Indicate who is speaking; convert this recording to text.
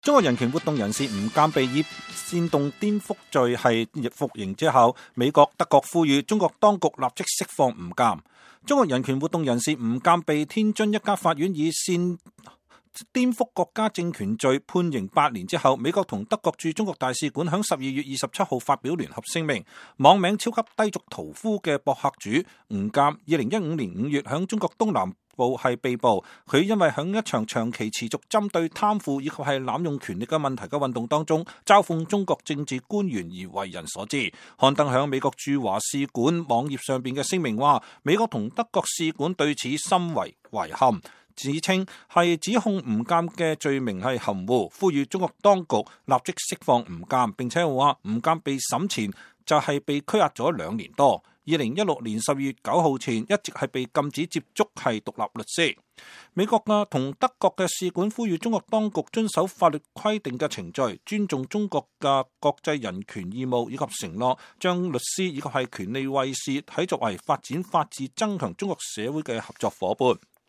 Speaker 1: 中國人權活動人士吳鑑被以煽動顛覆罪係服刑之後，美國、德國呼籲中國當局立即釋放吳鑑。中國人權活動人士吳鑑被天津一家法院以顛覆國家政權罪判刑8年之後，美國同德國駐中國大使館響12月27號發表聯合聲明，網名超級低俗屠夫嘅博客主吳鑑2015年5月響中國東南部係被捕，佢因為響一場長期持續針對貪腐以及係濫用權力嘅問題嘅運動當中嘲諷中國政治官員而為人所知。刊登響美國駐華使館網頁上邊嘅聲明話，美國同德國使館對此深為遺憾，指稱係指控吳鑑嘅罪名係含糊，呼籲中國當局立即釋放吳鑑，並且話吳鑑被審前就係被拘押咗2年多。2016年12月9號前一直係被禁止接觸係獨立律師。美國同德國嘅使館呼籲中國當局遵守法律規定嘅程序，尊重中國嘅國際人權義務，以及承諾將律師以及係權利衛士睇作為發展法治、增強中國社會嘅合作夥伴。